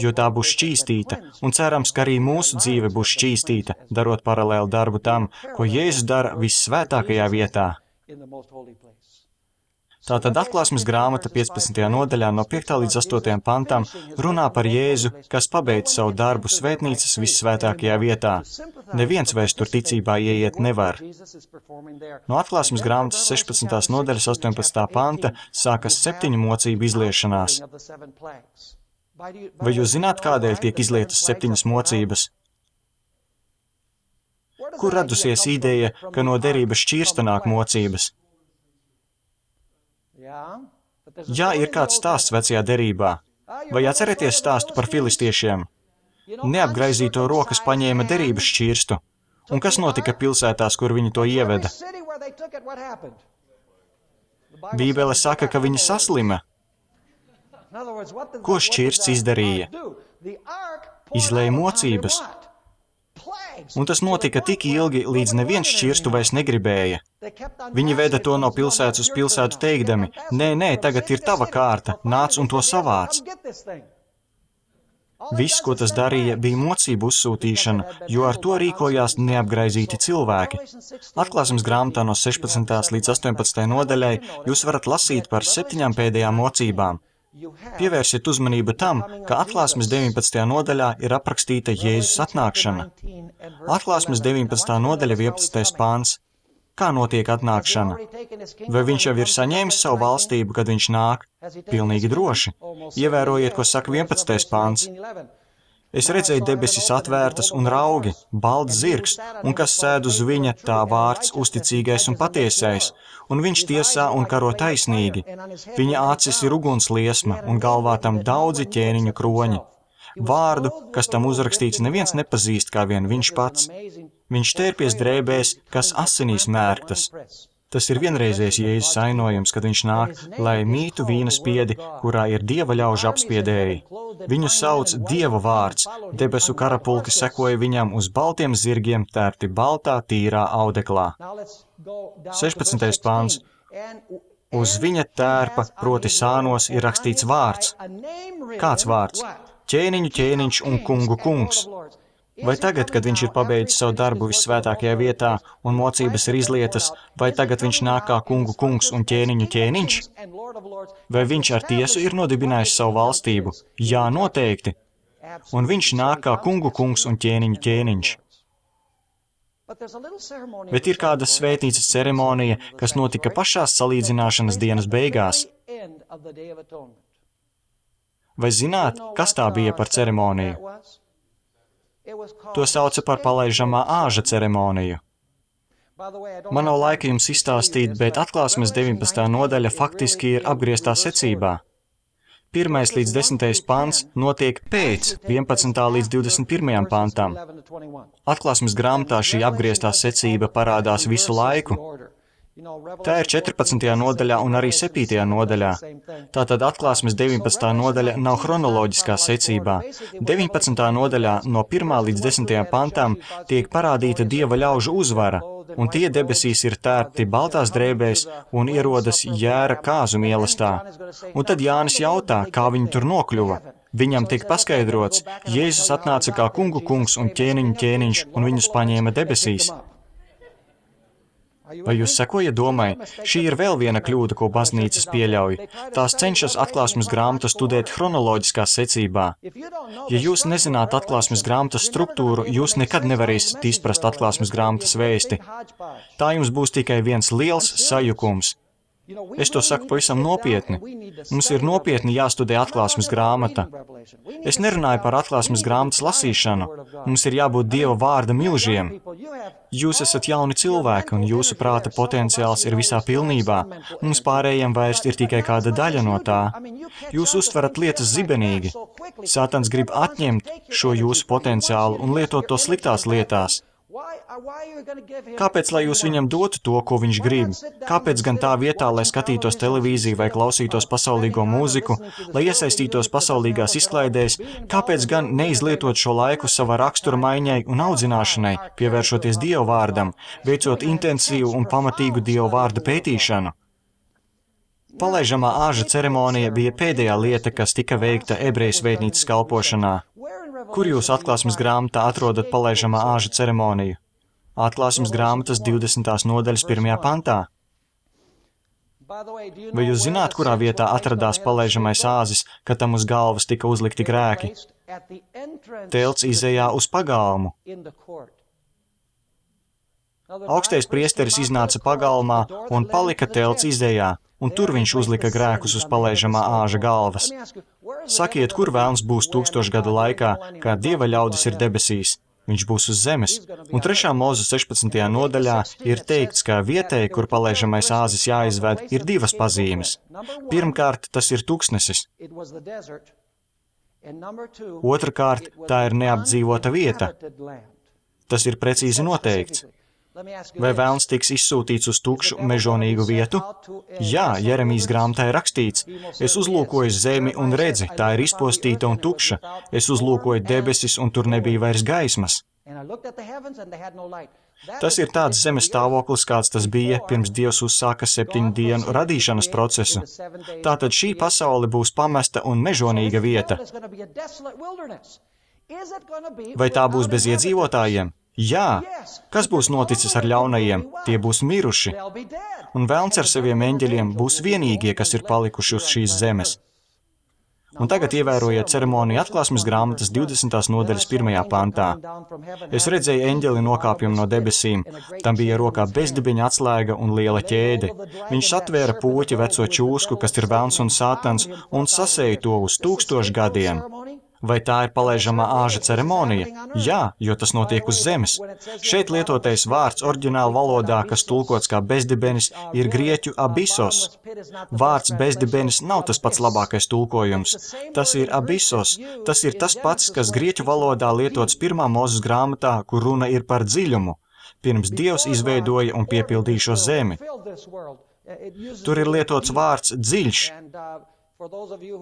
jo tā būs šķīstīta, un cerams, ka arī mūsu dzīve būs šķīstīta, darot paralēlu darbu tam, ko Jēzus dara vissvētākajā vietā. Tātad atklāsmes grāmata piecpadsmitajā nodaļā no piektā līdz astotajam pantam runā par Jēzu, kas pabeidz savu darbu svētnīcas vissvētākajā vietā. Neviens vairs tur ticībā ieiet nevar. No atklāsmes grāmatas sešpadsmitās nodaļas astoņpadsmitā panta sākas septiņu mocību izliešanās. Vai jūs zināt, kādēļ tiek izlietas septiņas mocības? Kur radusies ideja, ka no derības šķirsta nāk mocības? Jā, ir kāds stāsts vecajā derībā. Vai atceraties stāstu par filistiešiem? Neapgraizīto rokas paņēma derības šķirstu. Un kas notika pilsētās, kur viņi to ieveda? Bībele saka, ka viņi saslima. Ko šķirsts izdarīja? Izlēja mocības. Un tas notika tik ilgi, līdz neviens šķirstu vairs negribēja. Viņi veda to no pilsētas uz pilsētu teikdami, nē, nē, tagad ir tava kārta, nāc un to savāc. Viss, ko tas darīja, bija mocību uzsūtīšana, jo ar to rīkojās neapgraizīti cilvēki. Atklāsmes grāmatā no sešpadsmitās līdz astoņpadsmitajai nodaļai jūs varat lasīt par septiņām pēdējām mocībām. Pievērsiet uzmanību tam, ka atklāsmes deviņpadsmitajā nodaļā ir aprakstīta Jēzus atnākšana. Atklāsmes deviņpadsmitā nodaļa vienpadsmitais pāns. Kā notiek atnākšana? Vai viņš jau ir saņēmis savu valstību, kad viņš nāk? Pilnīgi droši. Ievērojiet, ko saka vienpadsmitais pāns. Es redzēju debesis atvērtas un raugi, balts zirgs, un kas sēd uz viņa, tā vārds uzticīgais un patiesais, un viņš tiesā un karo taisnīgi. Viņa acis ir ugunsliesma, un galvā tam daudzi ķēniņu kroņi. Vārdu, kas tam uzrakstīts, neviens nepazīst kā vien viņš pats. Viņš tērpies drēbēs, kas asinīs mērktas. Tas ir vienreizējs Jēzus ainojums, kad viņš nāk, lai mītu vīna spiedi, kurā ir dieva ļaužu apspiedēji. Viņu sauc Dieva vārds, debesu karapulki sekoja viņam uz baltiem zirgiem, tērti baltā, tīrā audeklā. sešpadsmitais pāns. Uz viņa tērpa, proti sānos, ir rakstīts vārds. Kāds vārds? Ķēniņu ķēniņš un kungu kungs. Vai tagad, kad viņš ir pabeidzis savu darbu vissvētākajā vietā un mocības ir izlietas, vai tagad viņš nāk kā kungu kungs un ķēniņu ķēniņš? Vai viņš ar tiesu ir nodibinājis savu valstību? Jā, noteikti. Un viņš nāk kā kungu kungs un ķēniņu ķēniņš. Bet ir kāda svētnīcas ceremonija, kas notika pašās salīdzināšanas dienas beigās. Vai zināt, kas tā bija par ceremoniju? To sauca par palaižamā āža ceremoniju. Man nav laika jums izstāstīt, bet atklāsmes deviņpadsmitā nodaļa faktiski ir apgrieztā secībā. Pirmais līdz desmitais pants notiek pēc vienpadsmitā līdz divdesmit pirmajam pantam. Atklāsmes grāmatā šī apgrieztā secība parādās visu laiku. Tā ir četrpadsmitajā nodaļā un arī septītajā nodaļā. Tātad atklāsmes deviņpadsmitā nodaļa nav chronoloģiskā secībā. deviņpadsmitā nodaļā no pirmā līdz desmitajam pantam tiek parādīta dieva ļaužu uzvara, un tie debesīs ir tērpti baltās drēbēs un ierodas Jēra kāzu mīlestā. Un tad Jānis jautā, kā viņi tur nokļuva. Viņam tiek paskaidrots, Jēzus atnāca kā kungu kungs un ķēniņu ķēniņš, un viņus paņēma debesīs. Vai jūs sekojat domai? Šī ir vēl viena kļūda, ko baznīcas pieļauj. Tās cenšas atklāsmes grāmatu studēt chronoloģiskā secībā. Ja jūs nezināt atklāsmes grāmatas struktūru, jūs nekad nevarēsiet izprast atklāsmes grāmatas vēsti. Tā jums būs tikai viens liels sajukums. Es to saku pavisam nopietni. Mums ir nopietni jāstudē atklāsmes grāmata. Es nerunāju par atklāsmes grāmatas lasīšanu. Mums ir jābūt Dieva vārda milžiem. Jūs esat jauni cilvēki, un jūsu prāta potenciāls ir visā pilnībā. Mums pārējiem vairs ir tikai kāda daļa no tā. Jūs uztverat lietas zibenīgi. Sātans grib atņemt šo jūsu potenciālu un lietot to sliktās lietās. Kāpēc, lai jūs viņam dotu to, ko viņš grib? Kāpēc gan tā vietā, lai skatītos televīziju vai klausītos pasaulīgo mūziku, lai iesaistītos pasaulīgās izklaidēs, kāpēc gan neizlietot šo laiku savā rakstura maiņai un audzināšanai, pievēršoties Dieva vārdam, veicot intensīvu un pamatīgu Dieva vārda pētīšanu? Palaižamā āža ceremonija bija pēdējā lieta, kas tika veikta ebreju svētnīcas kalpošanā. Kur jūs atklāsmes grāmatā atrodat palaižamā āža ceremoniju? Atklāsmes grāmatas divdesmitās nodaļas pirmajā pantā. Vai jūs zināt, kurā vietā atradās palaižamais āzis, kad tam uz galvas tika uzlikti grēki? Telts izejā uz pagalmu. Augstais priesteris iznāca pagalmā un palika telts izejā, un tur viņš uzlika grēkus uz palaižamā āža galvas. Sakiet, kur vēlns būs tūkstošu gadu laikā, kā Dieva ļaudis ir debesīs? Viņš būs uz zemes. Un trešā Mūzes sešpadsmitajā nodaļā ir teikts, ka vietēji, kur palaižamais āzis jāizved, ir divas pazīmes. Pirmkārt, tas ir tuksnesis. Otrakārt, tā ir neapdzīvota vieta. Tas ir precīzi noteikts. Vai vēlns tiks izsūtīts uz tukšu, mežonīgu vietu? Jā, Jeremijas grāmatā ir rakstīts. Es uzlūkoju zemi un redzi, tā ir izpostīta un tukša. Es uzlūkoju debesis un tur nebija vairs gaismas. Tas ir tāds zemes stāvoklis, kāds tas bija, pirms Dievs uzsāka septiņu dienu radīšanas procesu. Tātad šī pasaule būs pamesta un mežonīga vieta. Vai tā būs bez iedzīvotājiem? Jā. Kas būs noticis ar ļaunajiem? Tie būs miruši. Un vēlns ar saviem eņģeļiem būs vienīgie, kas ir palikuši uz šīs zemes. Un tagad ievērojiet ceremoniju atklāsmes grāmatas divdesmitās nodaļas pirmajā pantā. Es redzēju eņģeli nokāpjumu no debesīm. Tam bija rokā bezdibeņa atslēga un liela ķēde. Viņš satvēra puķi veco čūsku, kas ir vēlns un sātans, un sasēja to uz tūkstošu gadiem. Vai tā ir palaižamā āža ceremonija? Jā, jo tas notiek uz zemes. Šeit lietotais vārds oriģināla valodā, kas tulkots kā bezdibenis, ir grieķu abisos. Vārds bezdibenis nav tas pats labākais tulkojums. Tas ir abisos. Tas ir tas pats, kas grieķu valodā lietots pirmā Mūzes grāmatā, kur runa ir par dziļumu. Pirms Dievs izveidoja un piepildīja šo zemi. Tur ir lietots vārds dziļš.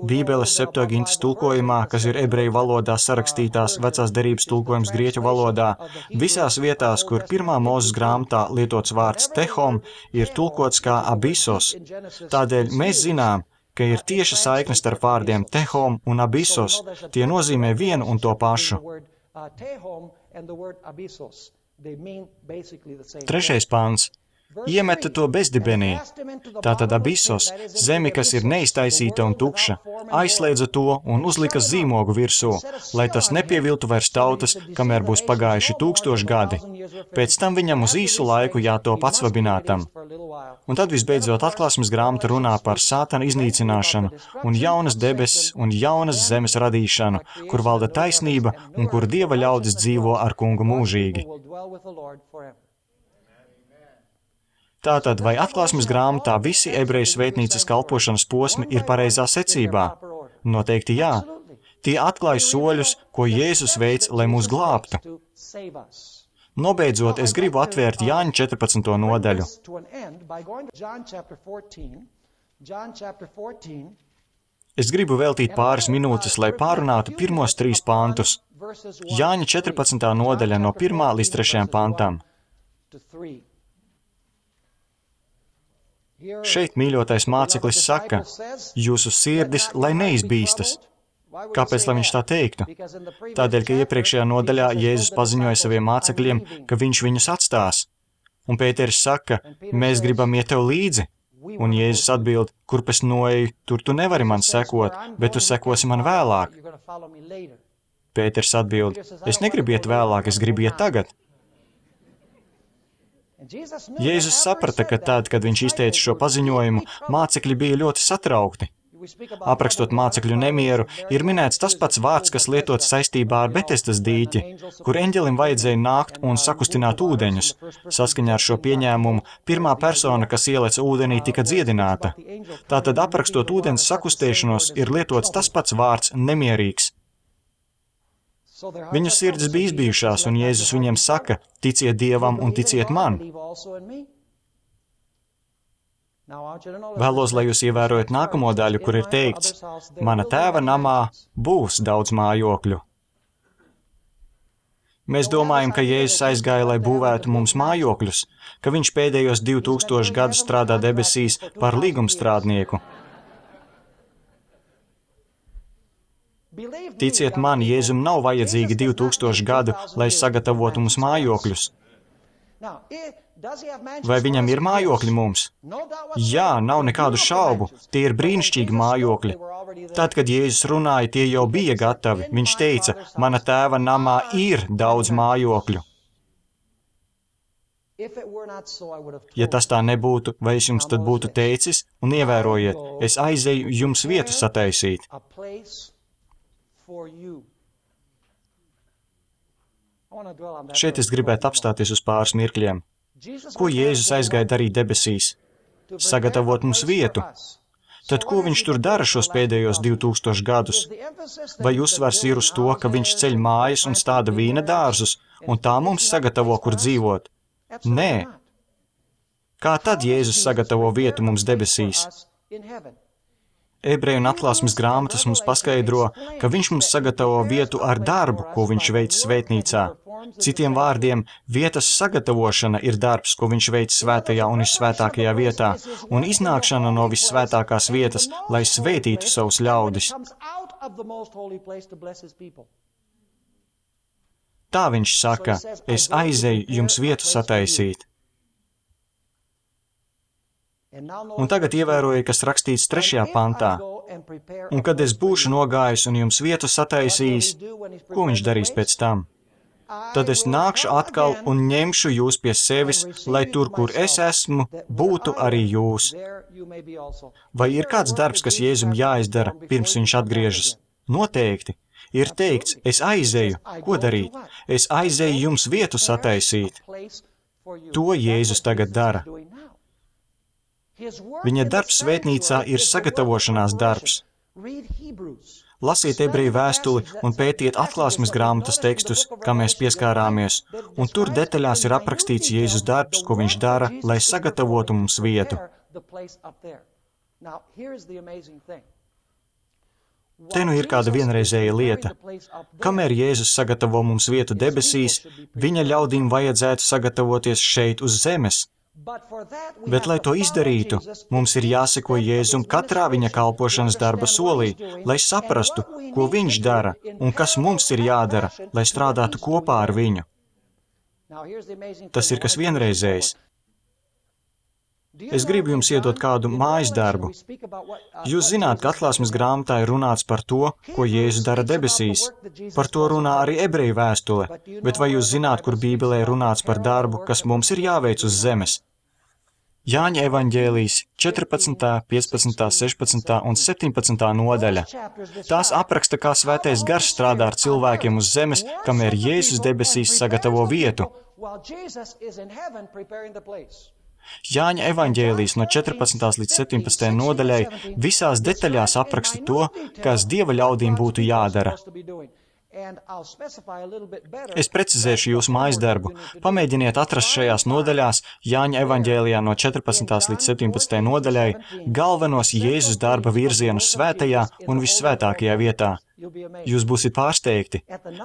Bībeles Septuagintas tulkojumā, kas ir ebreju valodā sarakstītās vecās derības tulkojums grieķu valodā, visās vietās, kur pirmā Mūzes grāmatā lietots vārds tehom, ir tulkots kā abisos. Tādēļ mēs zinām, ka ir tieša saikne starp vārdiem tehom un abisos. Tie nozīmē vienu un to pašu. Trešais pāns. Iemeta to bezdibenī. Tātad abisos, zemi, kas ir neiztaisīta un tukša, aizslēdza to un uzlika zīmogu virsū, lai tas nepieviltu vairs tautas, kamēr būs pagājuši tūkstoši gadi. Pēc tam viņam uz īsu laiku jātop atsvabinātam. Un tad visbeidzot atklāsmes grāmata runā par Sātana iznīcināšanu un jaunas debesis un jaunas zemes radīšanu, kur valda taisnība un kur Dieva ļaudis dzīvo ar kungu mūžīgi. Tātad, vai atklāsmes grāmatā visi ebreju svētnīcas kalpošanas posmi ir pareizā secībā? Noteikti jā. Tie atklāja soļus, ko Jēzus veic, lai mūs glābtu. Nobeidzot, es gribu atvērt Jāņa četrpadsmito nodaļu. Es gribu veltīt pāris minūtes, lai pārunātu pirmos trīs pantus. Jāņa četrpadsmitā nodaļa no pirmā līdz trešajam pantam. Šeit mīļotais māceklis saka, jūsu sirdis, lai neizbīstas. Kāpēc, lai viņš tā teiktu? Tādēļ, ka iepriekšējā nodaļā Jēzus paziņoja saviem mācekļiem, ka viņš viņus atstās. Un Pēteris saka, mēs gribam iet tev līdzi. Un Jēzus atbild, kurp es noeju, tur tu nevari man sekot, bet tu sekosi man vēlāk. Pēteris atbild, es negribu iet vēlāk, es gribu iet tagad. Jēzus saprata, ka tad, kad viņš izteica šo paziņojumu, mācekļi bija ļoti satraukti. Aprakstot mācekļu nemieru, ir minēts tas pats vārds, kas lietots saistībā ar Betesdas dīķi, kur eņģelim vajadzēja nākt un sakustināt ūdeņus. Saskaņā ar šo pieņēmumu, pirmā persona, kas ieleca ūdenī, tika dziedināta. Tātad aprakstot ūdens sakustēšanos, ir lietots tas pats vārds nemierīgs. Viņu sirds bija izbijušās, un Jēzus viņiem saka, ticiet Dievam un ticiet man. Vēlos, lai jūs ievērojat nākamo daļu, kur ir teikts, mana tēva namā būs daudz mājokļu. Mēs domājam, ka Jēzus aizgāja, lai būvētu mums mājokļus, ka viņš pēdējos divi tūkstoši gadus strādā debesīs par līgumstrādnieku. Ticiet man, Jēzum nav vajadzīgi divi tūkstoši gadu, lai sagatavotu mums mājokļus. Vai viņam ir mājokļi mums? Jā, nav nekādu šaubu, tie ir brīnišķīgi mājokļi. Tad, kad Jēzus runāja, tie jau bija gatavi. Viņš teica, mana tēva namā ir daudz mājokļu. Ja tas tā nebūtu, vai es jums tad būtu teicis, un ievērojiet, es aizeju jums vietu sataisīt. Šeit es gribētu apstāties uz pāris mirkļiem. Ko Jēzus aizgāja darīt debesīs? Sagatavot mums vietu. Tad ko viņš tur dara šos pēdējos divi tūkstoši gadus? Vai uzsvars ir uz to, ka viņš ceļ mājas un stāda vīna dārzus, un tā mums sagatavo, kur dzīvot? Nē. Kā tad Jēzus sagatavo vietu mums debesīs? Ebreju un atklāsmes grāmatas mums paskaidro, ka viņš mums sagatavo vietu ar darbu, ko viņš veic svētnīcā. Citiem vārdiem, vietas sagatavošana ir darbs, ko viņš veic svētajā un vissvētākajā vietā, un iznākšana no vissvētākās vietas, lai svētītu savus ļaudis. Tā viņš saka, es aizeju jums vietu sataisīt. Un tagad ievēroju, kas rakstīts trešajā pantā. Un kad es būšu nogājis un jums vietu sataisījis, ko viņš darīs pēc tam? Tad es nākšu atkal un ņemšu jūs pie sevis, lai tur, kur es esmu, būtu arī jūs. Vai ir kāds darbs, kas Jēzum jāizdara, pirms viņš atgriežas? Noteikti. Ir teikts, es aizeju, ko darīt? Es aizeju jums vietu sataisīt. To Jēzus tagad dara. Viņa darbs svētnīcā ir sagatavošanās darbs. Lasiet ebreju vēstuli un pētiet atklāsmes grāmatas tekstus, kā mēs pieskārāmies, un tur detaļās ir aprakstīts Jēzus darbs, ko viņš dara, lai sagatavotu mums vietu. Te nu ir kāda vienreizēja lieta. Kamēr Jēzus sagatavo mums vietu debesīs, viņa ļaudīm vajadzētu sagatavoties šeit uz zemes. Bet, lai to izdarītu, mums ir jāseko Jēzum katrā viņa kalpošanas darba solī, lai saprastu, ko viņš dara un kas mums ir jādara, lai strādātu kopā ar viņu. Tas ir kas vienreizējs. Es gribu jums iedot kādu mājas darbu. Jūs zināt, ka atklāsmes grāmatā ir runāts par to, ko Jēzus dara debesīs. Par to runā arī ebreju vēstule, bet vai jūs zināt, kur Bībelē runāts par darbu, kas mums ir jāveic uz zemes? Jāņa evaņģēlijas četrpadsmitā, piecpadsmitā, sešpadsmitā un septiņpadsmitā nodaļa. Tās apraksta, kā svētais gars strādā ar cilvēkiem uz zemes, kamēr Jēzus debesīs sagatavo vietu. Jāņa evaņģēlijas no četrpadsmitās līdz septiņpadsmitajai nodaļai visās detaļās apraksta to, kas Dieva ļaudīm būtu jādara. Es precizēšu jūsu mājas darbu. Pamēģiniet atrast šajās nodaļās Jāņa evaņģēlijā no četrpadsmitās līdz septiņpadsmitajai nodaļai galvenos Jēzus darba virzienus svētajā un vissvētākajā vietā. Jūs būsiet pārsteigti.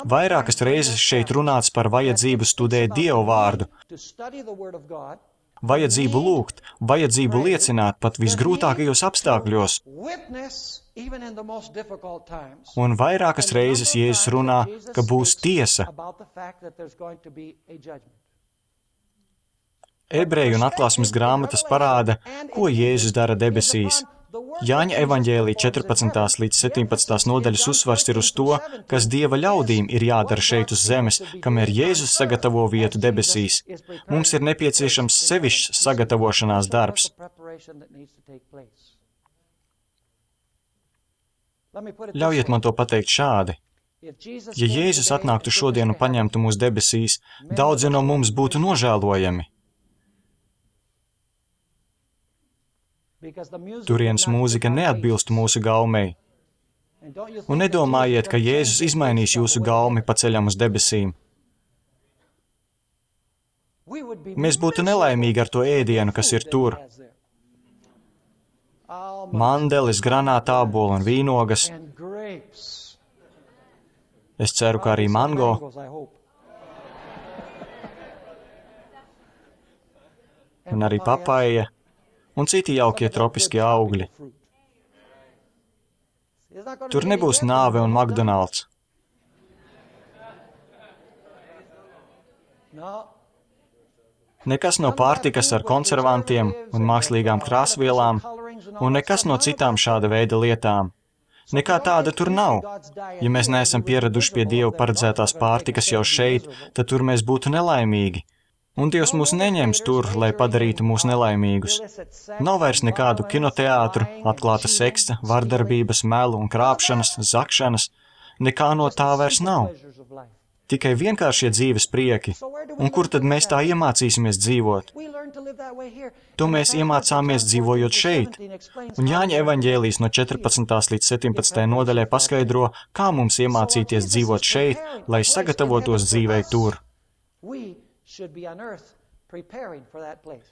Vairākas reizes šeit runāts par vajadzību studēt Dievu vārdu. Vajadzību lūgt, vajadzību liecināt pat visgrūtākajos apstākļos. Un vairākas reizes Jēzus runā, ka būs tiesa. Ebreju un atklāsmes grāmatas parāda, ko Jēzus dara debesīs. Jāņa evaņģēlija četrpadsmitās līdz septiņpadsmitās nodaļas uzsvars ir uz to, kas Dieva ļaudīm ir jādara šeit uz zemes, kamēr Jēzus sagatavo vietu debesīs. Mums ir nepieciešams sevišķs sagatavošanās darbs. Ļaujiet man to pateikt šādi. Ja Jēzus atnāktu šodien un paņemtu mūs debesīs, daudzi no mums būtu nožēlojami. Turienes mūzika neatbilst mūsu gaumei. Un nedomājiet, ka Jēzus izmainīs jūsu gaumi pa ceļam uz debesīm. Mēs būtu nelaimīgi ar to ēdienu, kas ir tur. Mandelis, granātāboli un vīnogas. Es ceru, ka arī mango. Un arī papaija. Un citi jaukie tropiskie augļi. Tur nebūs nāve un McDonald's. Nekas no pārtikas ar konservantiem un mākslīgām krāsvielām, un nekas no citām šāda veida lietām. Nekā tāda tur nav. Ja mēs neesam pieraduši pie Dieva paredzētās pārtikas jau šeit, tad tur mēs būtu nelaimīgi. Un Dievs mūs neņems tur, lai padarītu mūs nelaimīgus. Nav vairs nekādu kinoteātru, atklāta seksa, vardarbības, melu un krāpšanas, zakšanas. Nekā no tā vairs nav. Tikai vienkāršie dzīves prieki. Un kur tad mēs tā iemācīsimies dzīvot? To mēs iemācāmies dzīvojot šeit. Un Jāņa evaņģēlijas no četrpadsmitās līdz septiņpadsmitajai nodaļai paskaidro, kā mums iemācīties dzīvot šeit, lai sagatavotos dzīvei tur.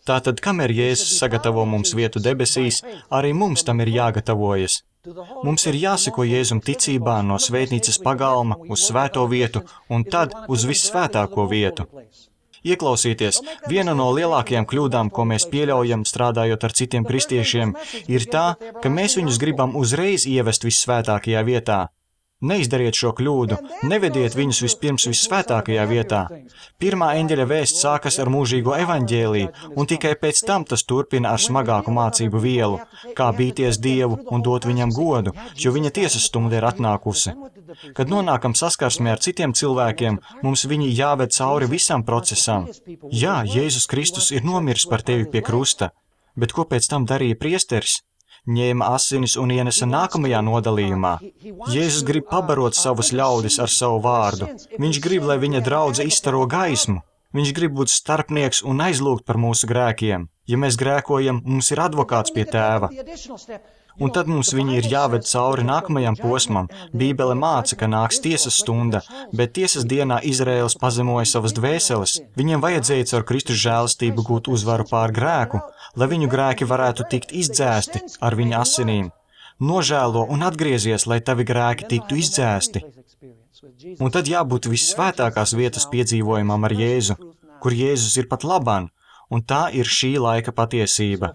Tātad, kamēr Jēzus sagatavo mums vietu debesīs, arī mums tam ir jāgatavojas. Mums ir jāseko Jēzum ticībā no svētnīcas pagalma uz svēto vietu un tad uz vissvētāko vietu. Ieklausieties, viena no lielākajām kļūdām, ko mēs pieļaujam strādājot ar citiem kristiešiem, ir tā, ka mēs viņus gribam uzreiz ievest vissvētākajā vietā. Neizdariet šo kļūdu, nevediet viņus vispirms vissvētākajā vietā. Pirmā eņģeļa vēsts sākas ar mūžīgo evaņģēliju, un tikai pēc tam tas turpina ar smagāku mācību vielu, kā bīties Dievu un dot viņam godu, jo viņa tiesas stunda ir atnākusi. Kad nonākam saskarsmē ar citiem cilvēkiem, mums viņi jāved cauri visam procesam. Jā, Jēzus Kristus ir nomiris par tevi pie krusta, bet ko pēc tam darīja priesteris? ņēma asinis un ienesa nākamajā nodalījumā. Jēzus grib pabarot savus ļaudis ar savu vārdu. Viņš grib, lai viņa draudze izstaro gaismu. Viņš grib būt starpnieks un aizlūgt par mūsu grēkiem. Ja mēs grēkojam, mums ir advokāts pie tēva. Un tad mums viņi ir jāved cauri nākamajam posmam. Bībele māca, ka nāks tiesas stunda, bet tiesas dienā Izraēls pazemoja savas dvēseles. Viņiem vajadzēja caur Kristus žēlastību gūt uzvaru pār grēku, lai viņu grēki varētu tikt izdzēsti ar viņa asinīm. Nožēlo un atgriezies, lai tavi grēki tiktu izdzēsti. Un tad jābūt vissvētākās vietas piedzīvojumam ar Jēzu, kur Jēzus ir pat labāk, un tā ir šī laika patiesība.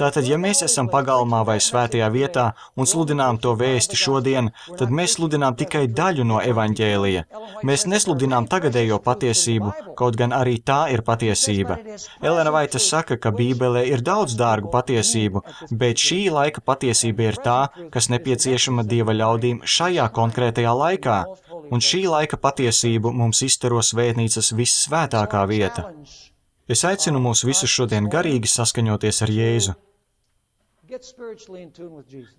Tātad, ja mēs esam pagalmā vai svētajā vietā un sludinām to vēsti šodien, tad mēs sludinām tikai daļu no evaņģēlija. Mēs nesludinām tagadējo patiesību, kaut gan arī tā ir patiesība. Elena Vaita saka, ka Bībelē ir daudz dārgu patiesību, bet šī laika patiesība ir tā, kas nepieciešama Dieva ļaudīm šajā konkrētajā laikā, un šī laika patiesību mums izstaro svētnīcas vissvētākā vieta. Es aicinu mūs visus šodien garīgi saskaņoties ar Jēzu.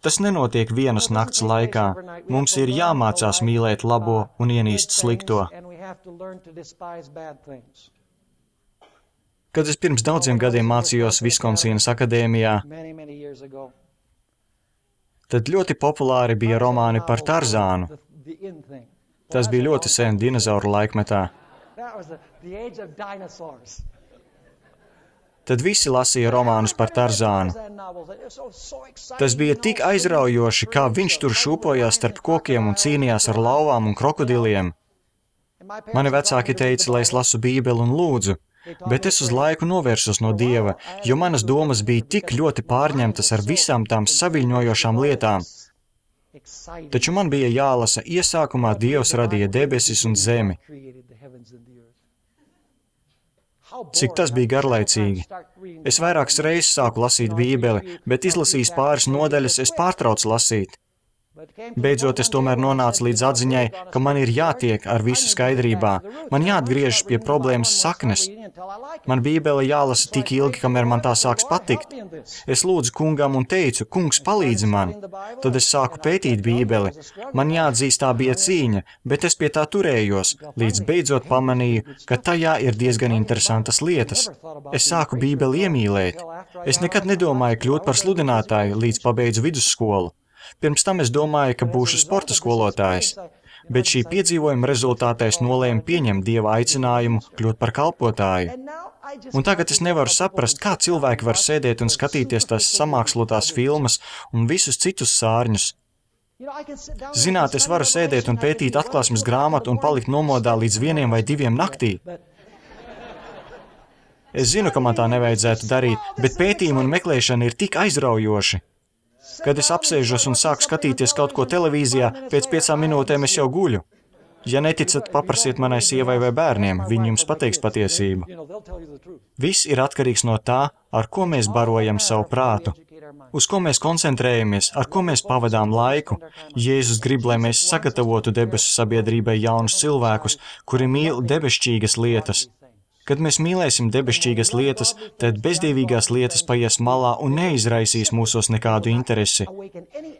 Tas nenotiek vienas nakts laikā. Mums ir jāmācās mīlēt labo un ienīst slikto. Kad es pirms daudziem gadiem mācījos Viskonsīnas akadēmijā, tad ļoti populāri bija romāni par Tarzānu. Tas bija ļoti sen dinozauru laikmetā. Tad visi lasīja romānus par Tarzānu. Tas bija tik aizraujoši, kā viņš tur šūpojās starp kokiem un cīnījās ar lauvām un krokodiliem. Mani vecāki teica, lai es lasu Bībeli un lūdzu, bet es uz laiku novērsos no Dieva, jo manas domas bija tik ļoti pārņemtas ar visām tām saviļņojošām lietām. Taču man bija jālasa, iesākumā Dievs radīja debesis un zemi. Cik tas bija garlaicīgi. Es vairākas reizes sāku lasīt Bībeli, bet izlasījis pāris nodaļas, es pārtraucu lasīt. Beidzot, es tomēr nonācu līdz atziņai, ka man ir jātiek ar visu skaidrībā. Man jāatgriežas pie problēmas saknes. Man Bībele jālasa tik ilgi, kamēr man tā sāks patikt. Es lūdzu kungam un teicu, kungs, palīdzi man. Tad es sāku pētīt Bībeli. Man jāatzīst, tā bija cīņa, bet es pie tā turējos, līdz beidzot pamanīju, ka tajā ir diezgan interesantas lietas. Es sāku Bībeli iemīlēt. Es nekad nedomāju kļūt par sludinātāju, līdz pabeidzu vidusskolu. Pirms tam es domāju, ka būšu sporta skolotājs, bet šī piedzīvojuma rezultātā es nolēmu pieņemt Dieva aicinājumu kļūt par kalpotāju. Un tagad es nevaru saprast, kā cilvēki var sēdēt un skatīties tās samākslotās filmas un visus citus sārņus. Zināt, es varu sēdēt un pētīt atklāsmes grāmatu un palikt nomodā līdz vieniem vai diviem naktī. Es zinu, ka man tā nevajadzētu darīt, bet pētījumi un meklēšana ir tik aizraujoši. Kad es apsēžos un sāku skatīties kaut ko televīzijā, pēc piecām minūtēm es jau guļu. Ja neticat, paprasiet manai sievai vai bērniem, viņi jums pateiks patiesību. Viss ir atkarīgs no tā, ar ko mēs barojam savu prātu, uz ko mēs koncentrējamies, ar ko mēs pavadām laiku. Jēzus grib, lai mēs sagatavotu debesu sabiedrībai jaunus cilvēkus, kuri mīl debešķīgas lietas. Kad mēs mīlēsim debešķīgas lietas, tad bezdievīgās lietas paies malā un neizraisīs mūsos nekādu interesi.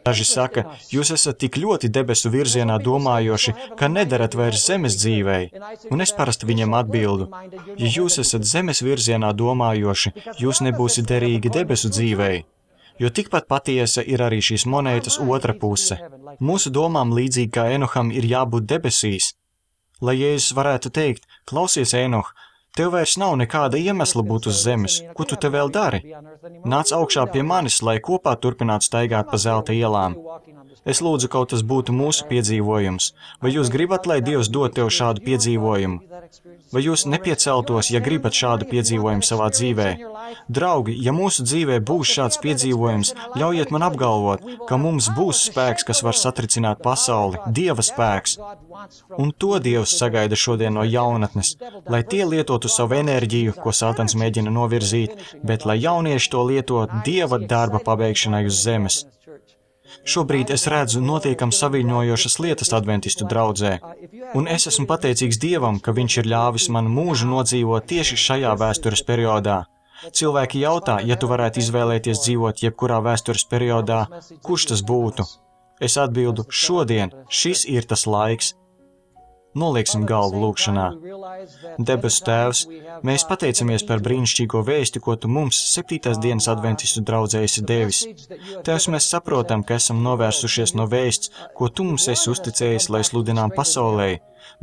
Daži saka, jūs esat tik ļoti debesu virzienā domājoši, ka nedarat vairs zemes dzīvei. Un es parasti viņiem atbildu, ja jūs esat zemes virzienā domājoši, jūs nebūsiet derīgi debesu dzīvei. Jo tikpat patiesa ir arī šīs monētas otra puse. Mūsu domām līdzīgi kā Enoham ir jābūt debesīs. Lai Jēzus varētu teikt, klausies, Enoh, tev vairs nav nekāda iemesla būt uz zemes. Ko tu te vēl dari? Nāc augšā pie manis, lai kopā turpinātu staigāt pa zelta ielām. Es lūdzu, kaut tas būtu mūsu piedzīvojums. Vai jūs gribat, lai Dievs dod tev šādu piedzīvojumu? Vai jūs nepieceltos, ja gribat šādu piedzīvojumu savā dzīvē? Draugi, ja mūsu dzīvē būs šāds piedzīvojums, ļaujiet man apgalvot, ka mums būs spēks, kas var satricināt pasauli, Dieva spēks. Un to Dievs sagaida šodien no jaunatnes, lai tie lietotu savu enerģiju, ko Sātans mēģina novirzīt, bet lai jaunieši to lieto Dieva darba pabeigšanai uz zemes. Šobrīd es redzu notiekam saviļņojošas lietas adventistu draudzē, un es esmu pateicīgs Dievam, ka Viņš ir ļāvis man mūžu nodzīvot tieši šajā vēstures periodā. Cilvēki jautā, ja tu varētu izvēlēties dzīvot jebkurā vēstures periodā, kurš tas būtu? Es atbildu, šodien, šis ir tas laiks. Nolieksim galvu lūkšanā. Debesu Tēvs, mēs pateicamies par brīnišķīgo vēsti, ko Tu mums septītās dienas adventistu draudzē esi devis. Tēvs, mēs saprotam, ka esam novērsušies no vēsts, ko Tu mums esi uzticējis, lai sludinām pasaulē,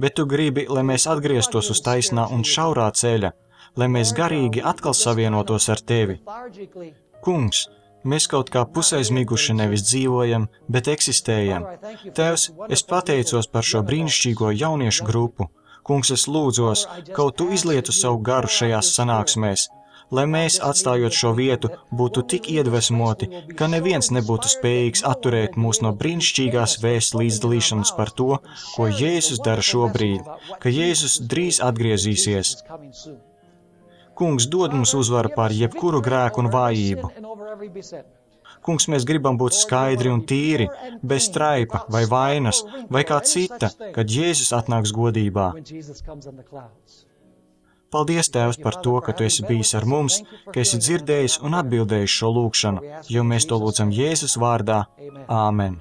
bet Tu gribi, lai mēs atgrieztos uz taisnā un šaurā ceļa, lai mēs garīgi atkal savienotos ar Tevi. Kungs, mēs kaut kā pusaizmiguši nevis dzīvojam, bet eksistējam. Tēvs, es pateicos par šo brīnišķīgo jauniešu grupu. Kungs, es lūdzos, kaut Tu izlietu savu garu šajās sanāksmēs, lai mēs, atstājot šo vietu, būtu tik iedvesmoti, ka neviens nebūtu spējīgs atturēt mūs no brīnišķīgās vēsts līdzdalīšanas par to, ko Jēzus dara šobrīd, ka Jēzus drīz atgriezīsies. Kungs, dod mums uzvaru pār jebkuru grēku un vājību. Kungs, mēs gribam būt skaidri un tīri, bez traipa vai vainas, vai kā cita, kad Jēzus atnāks godībā. Paldies, Tēvs, par to, ka Tu esi bijis ar mums, ka esi dzirdējis un atbildējis šo lūgšanu, jo mēs to lūdzam Jēzus vārdā. Āmen.